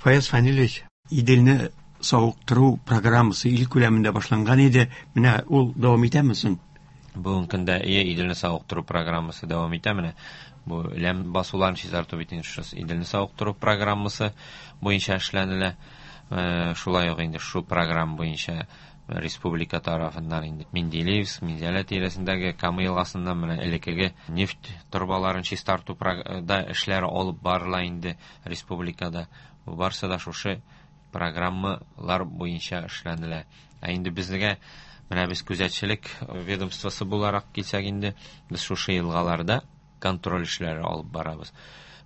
Фаяз Фәнилович, Иделне савыктыру программасы ил күләмендә башланган иде. Менә ул дәвам итәме соң? Бүгенге көндә ие Иделне савыктыру программасы дәвам итә. Менә бу ләм басуларын чистарту бит инде шушы Иделне савыктыру программасы буенча эшләнелә. Шулай ук инде шу программа буенча республика тарафыннан инде Менделеевск, Минзәлә тирәсендәге Кама елгасыннан менә элеккеге нефть торбаларын чистарту да эшләре алып барыла инде республикада. Бу барсы да шушы программалар буенча эшләнелә. Ә инде безгә менә без күзәтчелек ведомствосы буларак килсәк инде, без шушы елгаларда контроль эшләре алып барабыз.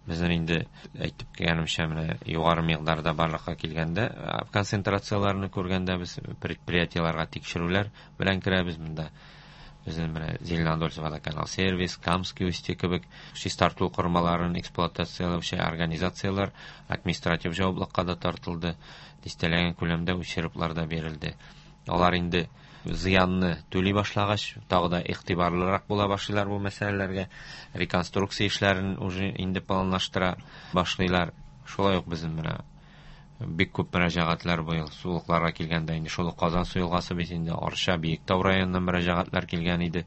Безнең инде әйтеп килгәнемчә, менә югары микъдарда барлыкка килгәндә, концентрацияләрне күргәндә без предприятиеләргә тикшерүләр белән керәбез монда. Безнең менә Зеленодольск водоканал сервис, Камский устье кебек чистарту корылмаларын эксплуатацияләүче организацияләр административ җаваплылыкка да тартылды, дистәләгән күләмдә ущерблар да бирелде. Алар инде зыянны түли башлагач, тагы да игътибарлырак була башлыйлар бу мәсьәләләргә, реконструкция эшләрен уже инде планлаштыра башлыйлар. Шулай ук безнең менә бик күп мөрәҗәгатьләр быел сулыкларга килгәндә инде шул ук Казан су елгасы бит инде Арча, Биектау районыннан мөрәҗәгатьләр килгән иде.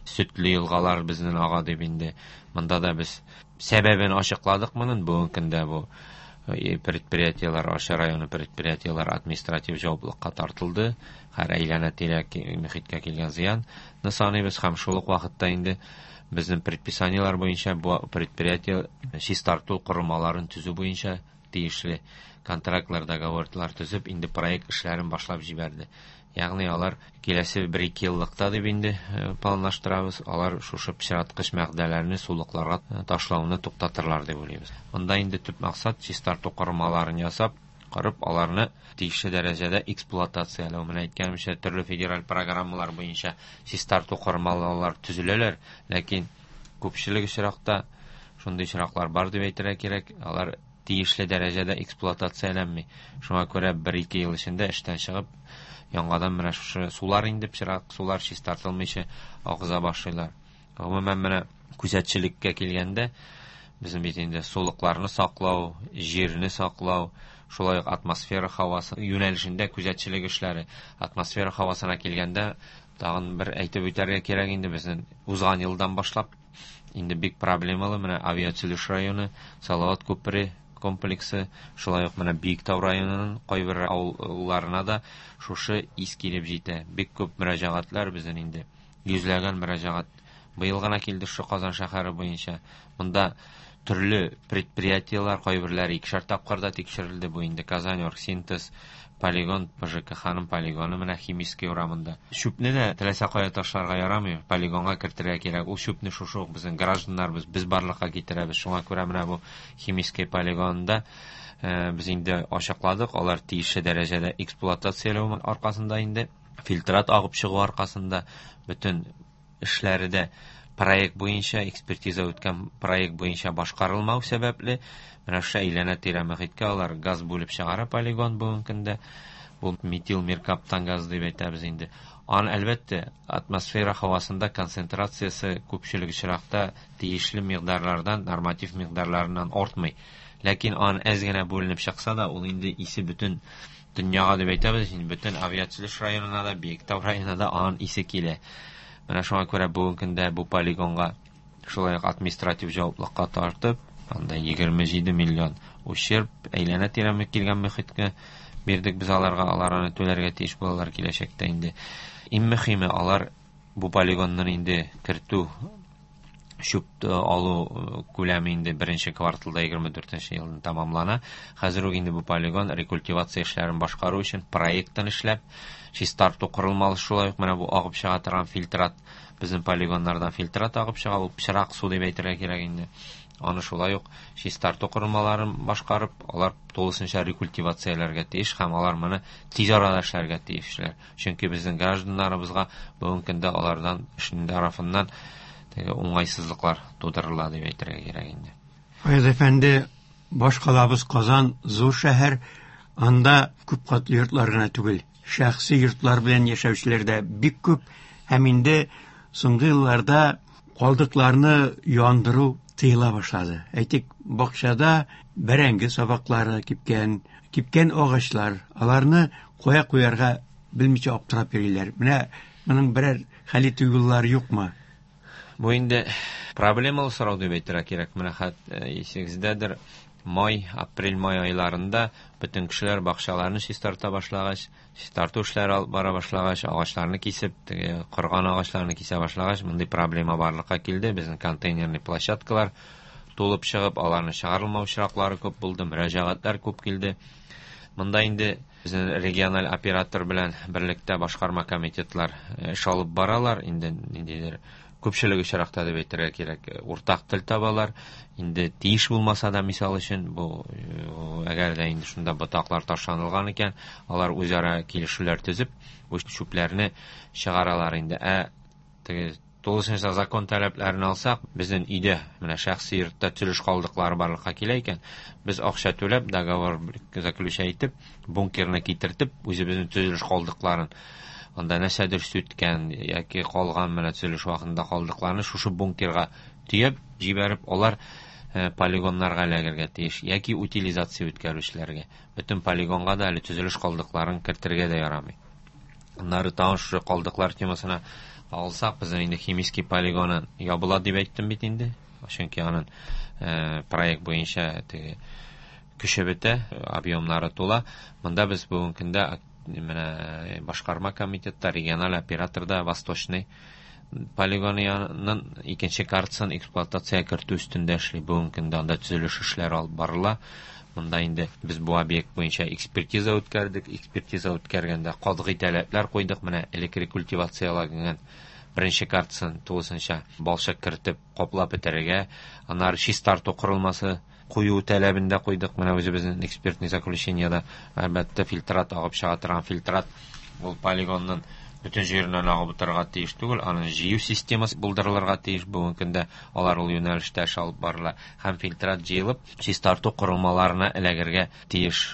Сөтле елгалар безнең ага дип инде. Монда да без сәбәбен ачыкладык моның. Бүгенге көндә бу предприятиеләр, Арча районы предприятиеләр административ җаваплылыкка тартылды. Һәр әйләнә-тирә мөхиткә килгән зыянны саныйбыз һәм шул ук вакытта инде безнең предписаниеләр буенча бу предприятие чистарту корылмаларын төзү буенча тиешле контрактлар, договорлар төзеп, инде проект эшләрен башлап җибәрде. Ягъни алар киләсе бер-ике еллыкта дип инде планлаштырабыз, алар шушы пычраткыч мәгъдәләрне сулыкларга ташлауны туктатырлар дип уйлыйбыз. Монда инде төп максат чистарту корылмаларын ясап, корып, аларны тиешле дәрәҗәдә эксплуатацияләү. Менә әйткәнемчә, төрле федераль программалар буенча чистарту корылмалары төзеләләр, ләкин күпчелек очракта шундый очраклар бар дип әйтергә кирәк, алар тиешле дәрәҗәдә эксплуатацияләнми. Шуңа күрә бер-ике ел эчендә эштән чыгып, яңадан менә шушы сулар инде пычрак сулар чистартылмыйча агыза башлыйлар. Гомумән менә күзәтчелеккә килгәндә, безнең бит инде сулыкларны саклау, җирне саклау, шулай ук атмосфера һавасы юнәлешендә күзәтчелек эшләре. Атмосфера һавасына килгәндә, тагын бер әйтеп үтәргә кирәк инде, безнең узган елдан башлап инде бик проблемалы менә авиатөзелеш районы, Салават күпере комплексы, шулай ук менә Биектау районының кайбер авылларына да шушы ис килеп җитә. Бик күп мөрәҗәгатьләр безнең инде, йөзләгән мөрәҗәгать быел гына килде шушы Казан шәһәре буенча. Монда төрле предприятиеләр, кайберләре икешәр тапкыр да тикшерелде. Бу инде Казань Оргсинтез, полигон, ПЖКХ-ның полигоны менә Химический урамында. Чүпне дә теләсә кая ташларга ярамый, полигонга кертергә кирәк. Ул чүпне шушы ук безнең гражданнарыбыз, без барлыкка китерәбез. Шуңа күрә менә бу Химический полигонында без инде ачыкладык, алар тиешле дәрәҗәдә эксплуатацияләү аркасында инде фильтрат агып чыгу аркасында бөтен эшләре дә проект буенча, экспертиза үткән проект буенча башкарылмау сәбәпле, менә шушы әйләнә-тирә мөхиткә алар газ бүлеп чыгара полигон бүгенге көндә. Бу метил меркаптан газ дип әйтәбез инде. Аны, әлбәттә, атмосфера һавасында концентрациясе күпчелек очракта тиешле микъдарлардан, норматив микъдарларыннан артмый. Ләкин аны әз генә бүленеп чыкса да, ул инде исе бөтен дөньяга дип әйтәбез, инде бөтен авиатөзелеш районына да, Биектау районына да аның исе килә. Менә шуңа күрә бүгенге көндә бу полигонга шулай ук административ җаваплылыкка тартып, анда 27 миллион ущерб әйләнә-тирә килгән мөхиткә бирдек без аларга, алар аны түләргә тиеш булалар киләчәктә инде. Иң мөһиме, алар бу полигонны инде кертү, чүп алу күләме инде беренче кварталда егерме дүртенче елны тәмамлана. Хәзер үк инде бу полигон рекультивация эшләрен башкару өчен проектын эшләп, чистарту корылмалы шулай ук менә бу агып чыга торган фильтрат, безнең полигоннардан фильтрат агып чыга, ул пычрак су дип әйтергә кирәк инде. Аны шулай ук чистарту корылмаларын башкарып, алар тулысынча рекультивацияләргә тиеш һәм алар моны тиз арада эшләргә тиешләр. Чөнки безнең гражданнарыбызга бүгенге көндә алардан эшнең тарафыннан теге уңайсызлыклар тудырыла дип әйтергә кирәк инде. Фаяз әфәнде, баш калабыз Казан зур шәһәр, анда күп катлы йортлар гына түгел, шәхси йортлар белән яшәүчеләр дә бик күп һәм инде соңгы елларда калдыкларны яндыру тыела башлады. Әйтик, бакчада Бәрәңге сабаклары кипкән, кипкән агачлар, аларны кая куярга белмичә аптырап йөриләр. Менә моның берәр хәл итү юллары юкмы? Бу инде проблемалы сорау дип әйтергә кирәк. Менә хәт исегездәдер, май, апрель-май айларында бөтен кешеләр бакчаларны чистарта башлагач, чистарту эшләре алып бара башлагач, агачларны кисеп, теге корган агачларны кисә башлагач, мондый проблема барлыкка килде. Безнең контейнерный площадкалар тулып чыгып, аларны чыгарылмау очраклары күп булды, мөрәҗәгатьләр күп килде. Монда инде безнең региональ оператор белән берлектә башкарма комитетлар эш алып баралар. Инде ниндидер күпчелек очракта дип әйтергә кирәк, уртак тел табалар. Инде тиеш булмаса да, мисал өчен, бу әгәр дә инде шунда ботаклар ташланылган икән, алар үзара килешүләр төзеп, бу чүпләрне чыгаралар инде. Ә теге тулысынча закон таләпләрен алсак, безнең өйдә, менә шәхси йортта төзелеш калдыклары барлыкка килә икән, без акча түләп, договор заключать итеп, бункерны китертеп, үзебезнең төзелеш калдыкларын, анда нәрсәдер сүткән яки калган менә төзелеш вакытында калдыкларны шушы бункерга төяп җибәреп, алар полигоннарга эләгергә тиеш яки утилизация үткәрүчеләргә. Бөтен полигонга да әле төзелеш калдыкларын кертергә дә ярамый. Аннары тагын шушы калдыклар темасына алсак, безнең инде химический полигоны ябыла дип әйттем бит инде. Чөнки аның проект буенча теге көче бетә, объемнары тула. Монда без бүгенге көндә менә башкарма комитетта, региональ операторда Восточный полигонының икенче картасын эксплуатациягә кертү өстендә эшли. Бүгенге көндә анда төзелеш эшләре алып барыла. Монда инде без бу объект буенча экспертиза үткәрдек. Экспертиза үткәргәндә катгый таләпләр куйдык. Менә элек рекультивацияләнгән беренче картасын тулысынча балчык кертеп каплап бетерергә, аннары чистарту корылмасы кую таләбен дә куйдык. Менә үзебезнең экспертный заключениедә әлбәттә фильтрат агып чыга торган фильтрат ул полигонның бөтен җиреннән агып утырырга тиеш түгел, аның җыю системасы булдырылырга тиеш. Бүгенге көндә алар ул юнәлештә эш алып барыла һәм фильтрат җыелып чистарту корылмаларына эләгергә тиеш.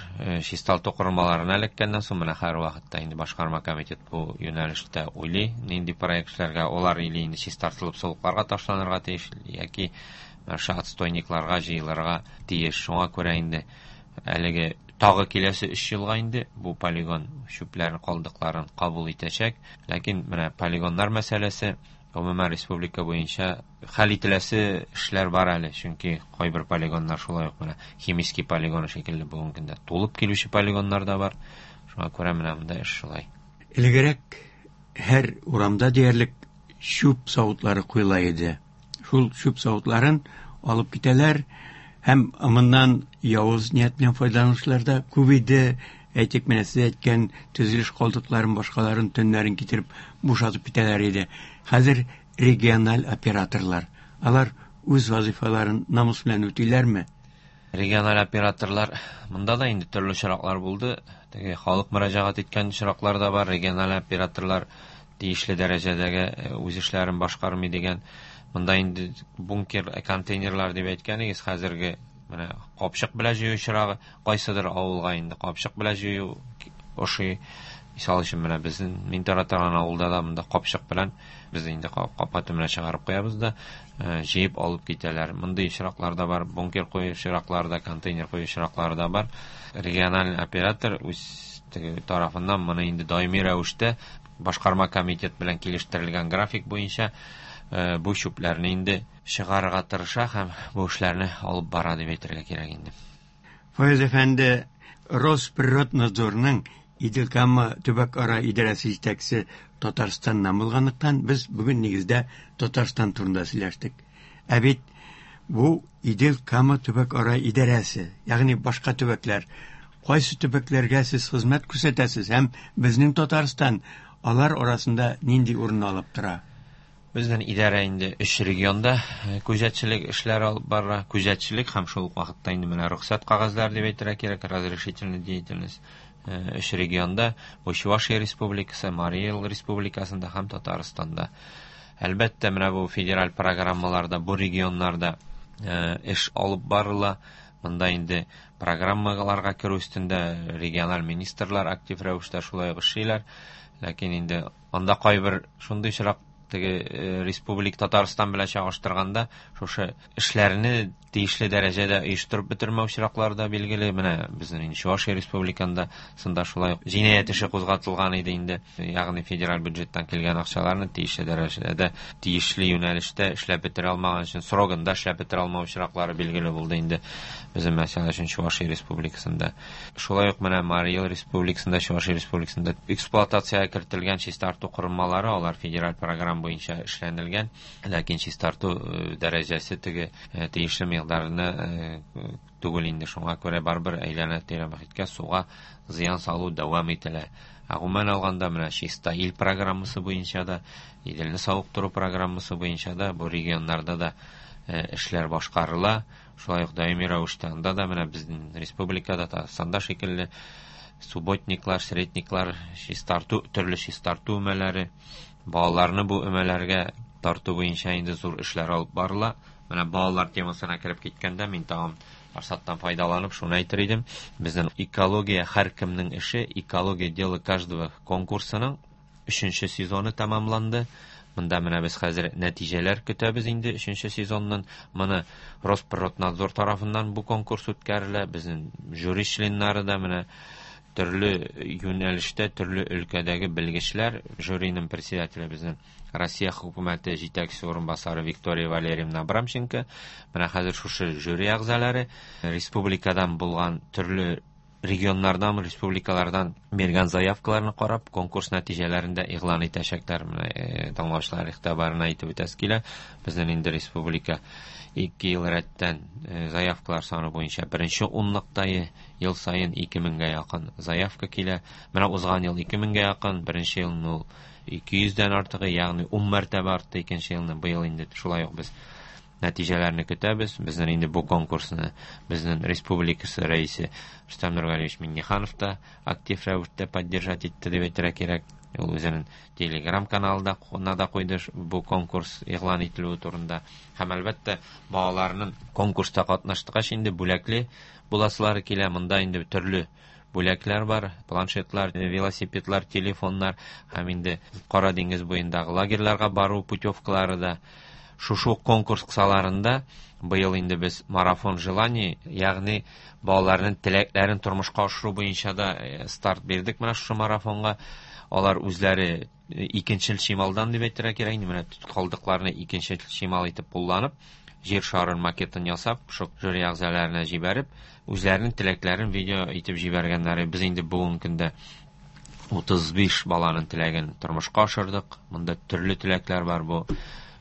Чистарту корылмаларына эләккәннән соң менә һәр вакытта инде башкарма комитет бу юнәлештә уйлый, нинди проект эшләргә, алар или инде чистартылып сулыкларга ташланырга тиеш яки шушы отстойникларга җыелырга тиеш. Шуңа күрә инде әлеге тагы киләсе 3 елга инде бу полигон чүпләрен, калдыкларын кабул итәчәк. Ләкин менә полигоннар мәсьәләсе гомумән республика буенча хәл ителәсе эшләр бар әле, чөнки кайбер полигоннар шулай ук менә химический полигон шикелле бүгенге көндә тулып килүче полигоннар да бар. Шуңа күрә менә монда эш шулай. Элегрәк һәр урамда диярлек чүп савытлары куела иде. Шул чүп савытларын алып китәләр һәм моннан явыз ният белән файдаланучылар да күп иде. Әйтик, менә сез әйткән төзелеш калдыкларын, башкаларын төннәрен китереп бушатып китәләр иде. Хәзер региональ операторлар, алар үз вазифаларын намус белән үтиләрме? Региональ операторлар монда да инде төрле очраклар булды. Теге халык мөрәҗәгать иткән очраклар да бар. Региональ операторлар тиешле дәрәҗәдәге үз эшләрен башкармый дигән. Монда инде бункер, контейнерлар дип әйткәнегез, хәзерге менә капчык белән җыю очрагы, кайсыдыр авылга инде капчык белән җыю ошый. Мисал өчен, менә безнең мин тора торган авылда да монда капчык белән без инде капка төбенә чыгарып куябыз да, җыеп алып китәләр. Мондый очраклар да бар, бункер кую очраклары да, контейнер кую очраклары да бар. Региональ оператор үз тарафыннан моны инде даими рәвештә башкарма комитет белән килештерелгән график буенча бу чүпләрне инде чыгарырга тырыша һәм бу эшләрне алып бара дип әйтергә кирәк инде. Фаяз әфәнде, Росприроднадзорның Идел-Кама төбәк-ара идарәсе җитәкчесе Татарстаннан булганлыктан, без бүген нигездә Татарстан турында сөйләштек. Ә бит бу Идел-Кама төбәк-ара идарәсе, ягъни башка төбәкләр. Кайсы төбәкләргә сез хезмәт күрсәтәсез һәм безнең Татарстан алар арасында нинди урын алып тора? Безнең идарә инде 3 регионда күзәтчелек эшләре алып бара. Күзәтчелек һәм шул ук вакытта инде менә рөхсәт кәгазьләре дип әйтергә кирәк, разрешительная деятельность. 3 регионда, бу Чувашия Республикасы, Марий Эл Республикасында һәм Татарстанда. Әлбәттә, менә бу федераль программаларда, бу регионнарда эш алып барыла. Монда инде программаларга керү өстендә региональ министрлар актив рәвештә шулай ук эшлиләр. Ләкин инде анда кайбер шундый очрак Теге Республика Татарстан белән чагыштырганда шушы эшләрне тиешле дәрәҗәдә оештырып бетермәү очраклары да билгеле. Менә безнең инде Чувашия республикасында сында шулай ук җинаять эше кузгатылган иде инде. Ягъни федераль бюджеттан килгән акчаларны тиешле дәрәҗәдә, тиешле юнәлештә эшләп бетерә алмаган өчен, срогында эшләп бетерә алмау очраклары билгеле булды инде. Безнең мәсәл өчен Чувашия республикасында. Шулай ук менә Марий Эл республикасында, Чувашия республикасында эксплуатациягә кертелгән чистарту корылмалары, алар федераль программа буенча эшләнелгән, ләкин чистарту дәрәҗәсе теге тиешле микъдарны түгел инде. Шуңа күрә барыбер әйләнә-тирә мохиткә, суга зыян салу дәвам ителә. Ә гомумән алганда менә Чиста ил программасы буенча да, Иделне савыктыру программасы буенча да бу регионнарда да эшләр башкарыла. Шулай ук даими рәвештә анда да менә безнең республикада Татарстанда шикелле субботниклар, средниклар, чистарту, төрле чистарту өмәләре, балаларны бу өмәләргә тарту буенча инде зур эшләр алып барыла. Менә балалар темасына кереп киткәндә мин тагын форсаттан файдаланып шуны әйтер идем. Безнең экология һәркемнең эше, экология дело каждого конкурсының 3нче сезоны тәмамланды. Монда менә без хәзер нәтиҗәләр көтәбез инде 3нче сезоннан. Моны Росприроднадзор тарафыннан бу конкурс үткәрелә. Безнең жюри членнары да менә төрле юнәлештә, төрле өлкәдәге белгечләр. Жюриның председателе безнең Россия хөкүмәте җитәкчесе урынбасары Виктория Валерьевна Абрамченко. Менә хәзер шушы жюри әгъзалары республикадан булган төрле регионнардан, республикалардан биргән заявкаларны карап, конкурс нәтиҗәләрен дә игълан итәчәкләр. Менә тыңлаучылар игътибарына әйтеп үтәсе килә. Безнең инде республика 2 ел рәттән заявкалар саны буенча беренче унлыкта ел саен 2000гә якын заявка килә. Менә узган ел 2000гә якын, беренче елны ул 200дән артыгы, ягъни 10 мәртәбә артты икенче елны. Быел инде шулай ук без нәтиҗәләрне көтәбез. Безнең инде бу конкурсны безнең республикасы рәисе Рөстәм Нургалиевич Миңнеханов та актив рәвештә поддержать итте дип әйтергә кирәк. Ул үзенең Telegram каналында да куйды бу конкурс игълан ителүе турында. Һәм әлбәттә балаларның конкурста катнаштыгач инде бүләкле буласылары килә. Монда инде төрле бүләкләр бар, планшетлар, велосипедлар, телефоннар һәм инде Кара диңгез буендагы лагерьларга бару путевкалары да. Шушы конкурс кысаларында быел инде без марафон желаний, ягъни балаларның теләкләрен тормышка ашыру буенча да старт бирдек менә шушы марафонга. Алар үзләре икенчел чималдан дип әйтергә кирәк инде, менә калдыкларны икенчел чимал итеп кулланып, җир шарын макетын ясап, шул жюри әгъзаларына җибәреп, үзләренең теләкләрен видео итеп җибәргәннәр. Без инде бүгенге көндә 35 баланың теләген тормышка ашырдык. Монда төрле теләкләр бар. Бу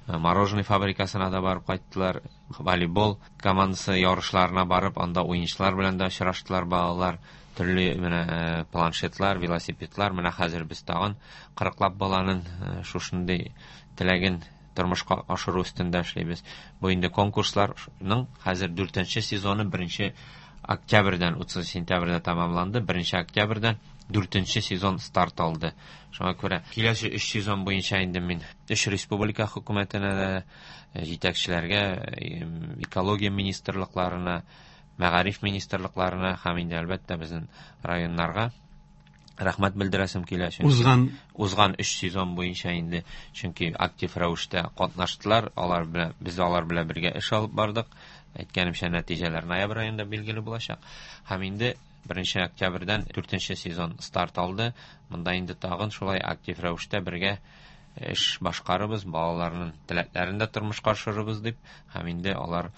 мороженое фабрикасына да барып кайттылар, волейбол командасы ярышларына барып, анда уенчылар белән дә очраштылар балалар. Төрле менә планшетлар, велосипедлар. Менә хәзер без тагын 40лап баланың шушындый теләген тормышка ашыру өстендә эшлибез. Бу инде конкурсларның хәзер 4нче сезоны 1 октябрьдән 30 сентябрьдә тәмамланды. 1 октябрьдән 4нче сезон старт алды. Шуңа күрә киләсе 3 сезон буенча инде мин 3 республика хөкүмәтенә дә, җитәкчеләргә, экология министрлыкларына, мәгариф министрлыкларына һәм инде әлбәттә безнең районнарга рәхмәт белдерәсем килә, чөнки узган 3 сезон буенча инде, чөнки актив рәвештә катнаштылар, алар белән без алар белән бергә эш алып бардык. Әйткәнемчә, нәтиҗәләр ноябрь аенда билгеле булачак. Һәм инде 1 октябрьдән 4нче сезон старт алды. Монда инде тагын шулай актив рәвештә бергә эш башкарыбыз, балаларның теләкләрен дә тормышка ашырырбыз дип, һәм инде алар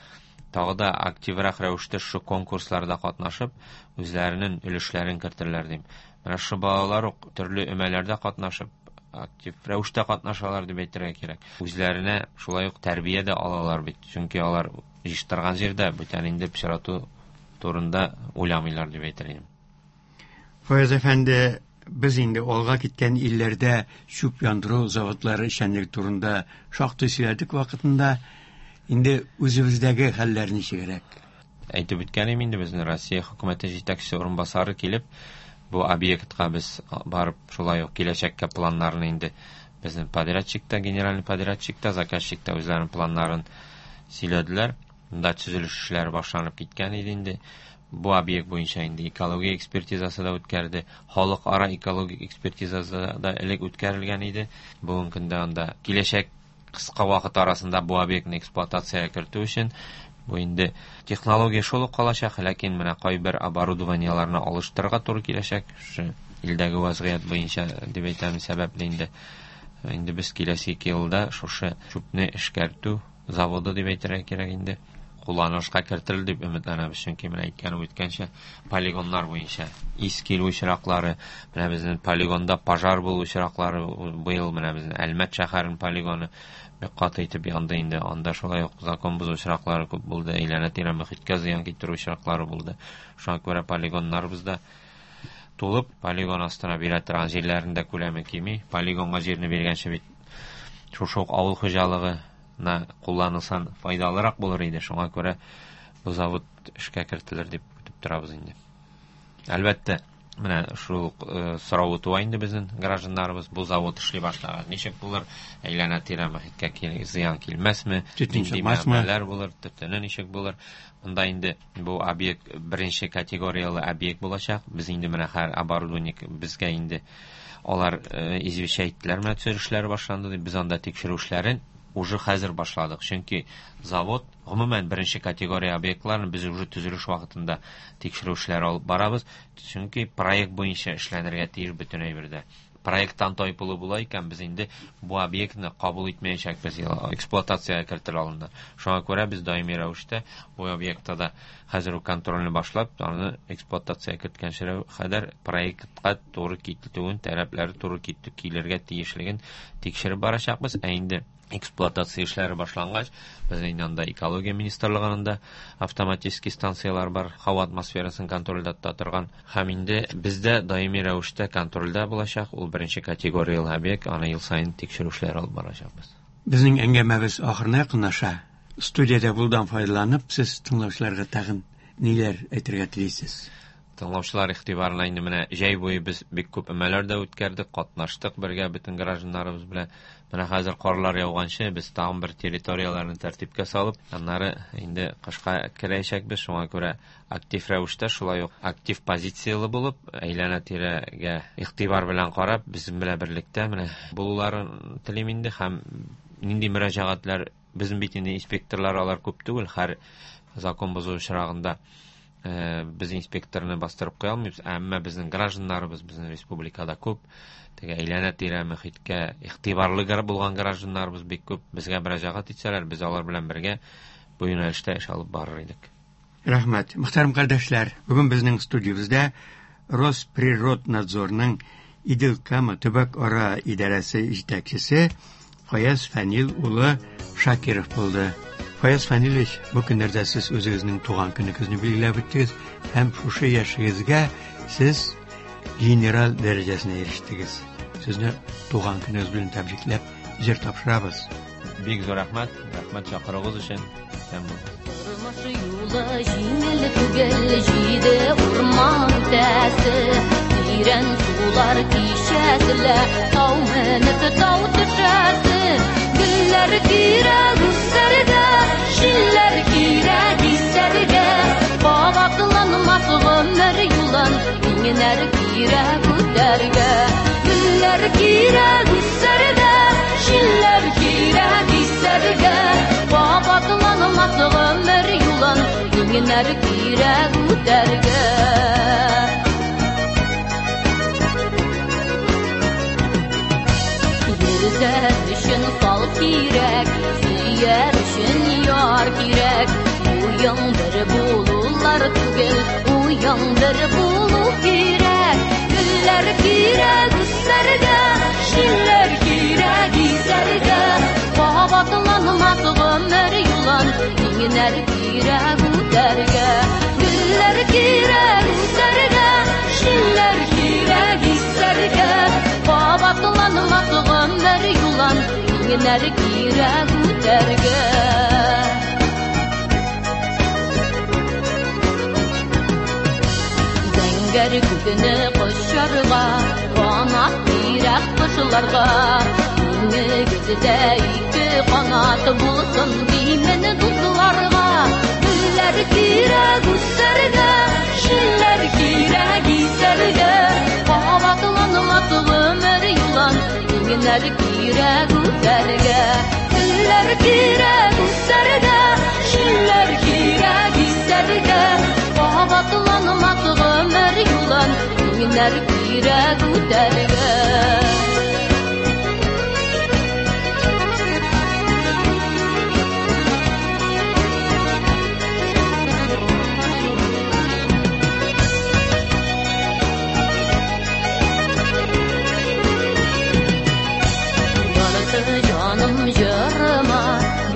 тагы да активрак рәвештә шушы конкурсларда катнашып, үзләренең өлешләрен кертерләр дим. Менә шушы балалар ук төрле өмәләрдә катнашып, актив рәвештә катнашалар дип әйтергә кирәк. Үзләренә шулай ук тәрбия дә алалар бит, чөнки алар җыештырган җирдә бүтән инде пычрату турында уйламыйлар дип әйтер идем. Фаяз әфәнде, без инде алга киткән илләрдә чүп яндыру заводлары эшчәнлеге турында шактый сөйләдек вакытында. Инде үзебездәге хәлләр ничегрәк? Әйтеп үткән идем инде, безнең Россия хөкүмәте җитәкчесе урынбасары килеп, бу объектка без барып шулай ук киләчәккә планнарны инде безнең подрядчик та, генеральный подрядчик та, заказчик та үзләренең планнарын сөйләделәр. Монда төзелеш эшләре башланып киткән иде инде. Бу объект буенча инде экология экспертизасы да үткәрде. Халыкара экологик экспертизасы да элек үткәрелгән иде. Бүгенге көндә анда киләчәк кыска вакыт арасында бу объектны эксплуатациягә кертү өчен бу инде технология шул ук калачак, ләкин менә кайбер оборудованиеларны алыштырырга туры киләчәк. Шушы илдәге вазгыять буенча дип әйтәм, сәбәпле инде. Инде без киләсе 2 елда шушы чүпне эшкәртү заводы дип әйтергә кирәк инде кулланылышка кертелер дип өметләнәбез, чөнки менә әйткән үткәнчә полигоннар буенча ис килү очраклары, менә безнең полигонда пожар булу очраклары быел менә безнең Әлмәт шәһәренең полигоны бик каты итеп янды инде. Анда шулай ук закон бозу очраклары күп булды, әйләнә-тирә мөхиткә зыян китерү очраклары булды. Шуңа күрә полигоннарыбызда тулып, полигон астына бирә торган җирләрнең дә күләме кими. Полигонга җирне биргәнче бит шушы ук авыл хуҗалыгы на кулланылсан файдалырак булыр иде. Шуңа күрә бу завод эшкә кертелер дип көтеп торабыз инде. Әлбәттә, менә шул сорау туа инде безнең гражданнарыбыз, бу завод эшли башлаган ничек булыр, әйләнә-тирә мөхиткә зыян килмәсме, Төтен нинди чыкмасмы? мәмәләр булыр, төтене ничек булыр. Монда инде бу объект беренче категорияле объект булачак. Без инде менә һәр оборудование безгә инде алар извещать иттеләр, менә төзелешләр башланды дип, без анда тикшерү эшләрен уже хәзер башладык. Чөнки завод гомумән беренче категория объектларын без уже төзелеш вакытында тикшерү эшләре алып барабыз. Чөнки проект буенча эшләнергә тиеш бөтен әйбердә. Проекттан тайпылу була икән, без инде бу объектны кабул итмәячәкбез, эксплуатациягә кертер алдында. Шуңа күрә без даими рәвештә бу объектта да хәзер үк контрольне башлап, аны эксплуатациягә керткәнче кадәр проектка туры килүен, таләпләре туры килергә тиешлеген тикшереп барачакбыз. Ә инде эксплуатация эшләре башлангач, без инде анда экология министрлыгында автоматический станциялар бар, һава атмосферасын контрольдә тота торган. Һәм инде бездә даими рәвештә контрольдә булачак, ул беренче категорияле объект, аны ел саен тикшерү эшләре алып барачакбыз. Безнең әңгәмәбез ахырына якынлаша. Студиядә булдан файдаланып, сез тыңлаучыларга тагын ниләр әйтергә телисез? Тыңлаучылар игътибарына инде менә җәй буе без бик күп өмәләр дә үткәрдек, катнаштык бергә бөтен гражданнарыбыз белән. Менә хәзер карлар яуганчы без тагын бер территорияләрне тәртипкә салып, аннары инде кышка керәчәкбез. Шуңа күрә актив рәвештә шулай ук актив позицияле булып, әйләнә-тирәгә игътибар белән карап, безнең белән берлектә менә булуларын телим инде. Һәм нинди мөрәҗәгатьләр, безнең бит инде инспекторлар алар күп түгел, һәр закон бозу очрагында без инспекторны бастырып куя алмыйбыз, әмма безнең гражданнарыбыз безнең республикада күп, теге әйләнә-тирә мөхиткә игътибарлы булган гражданнарыбыз бик күп. Безгә мөрәҗәгать итсәләр, без алар белән бергә бу юнәлештә эш алып барыр идек. Рәхмәт. Мөхтәрәм кардәшләр, бүген безнең студиябездә Росприроднадзорның Идел-Кама төбәк-ара идарәсе җитәкчесе Фаяз Фәнил улы Шакиров булды. Фаяз Фәнилович, бу көннәрдә сез үзегезнең туган көнегезне билгеләп үттегез һәм шушы яшегезгә сез генерал дәрәҗәсенә ирештегез. Сезне туган көнегез белән тәбрикләп җыр тапшырабыз. Бик зур рәхмәт, рәхмәт чакыруыгыз өчен. Сәлам булсын. Тормыш юлы җиңел түгел, җиде урман үтәсе, тирән сулар кичәсе, тау менеп тау төшәсе. Гөлләр кирәк үсәргә, җилләр кирәк исәргә, кабатланмас гомер юлын иңнәр кирәк үтәргә. Гөлләр кирәк үсәргә, җилләр кирәк исәргә, кабатланмас гомер юлын иңнәр кирәк үтәргә. Йөзәр өчен сал кирәк, сөяр өчен яр кирәк. Уяң бер булулар түгел, уяң бер булу кирәк. Гөлләр кирәк үсәргә, җилләр кирәк исәргә, кабатланмас гомер юлын иңнәр кирәк үтәргә. Гөлләр кирәк үсәргә, җилләр кирәк исәргә, кабатланмас гомер юлын иңнәр кирәк үтәргә. Зәңгәр күкне кочарга, канат кирәк кошларга. Иңегездә ике канат булсын димен дусларга. Гөлләр кирәк үсәргә, җилләр кирәк исәргә. Кабатланмас гомер юлын иңнәр кирәк үтәргә. Гөлләр кирәк үсәргә, җилләр кирәк исәргә. Кабатланмас гомер юлын иңнәр кирәк үтәргә.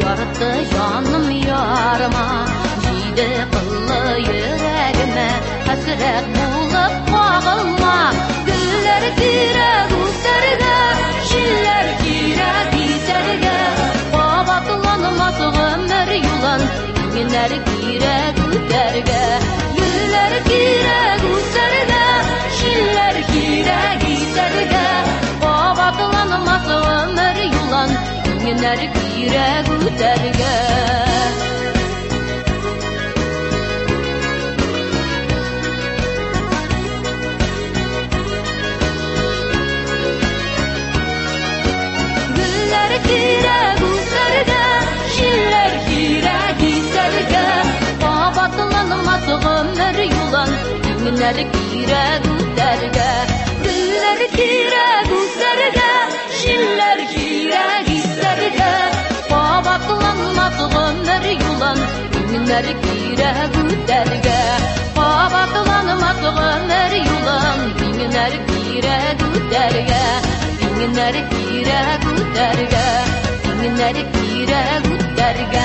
Ярты җаным ярыма, җиде кыллы йөрәгемә хәсрәт булып кагылма. Гөлләр кирәк үсәргә, җилләр кирәк исәргә. Кабатланмас гомер юлын иңнәр кирәк үтәргә. Гөлләр кирәк үсәргә, җилләр кирәк исәргә. Кабатланмас гомер юлын иңнәр кирәк үтәргә. Гөлләр кирәк үсәргә, җилләр кирәк исәргә. Кабатланмас гомер юлын иңнәр кирәк үтәргә. Гөлләр кирәк үсәргә, җилләр кирәк исәргә. Кабатланмас гомер юлын иңнәр кирәк үтәргә. Кабатланмас гомер юлын иңнәр кирәк үтәргә. Иңнәр кирәк үтәргә, иңнәр кирәк үтәргә.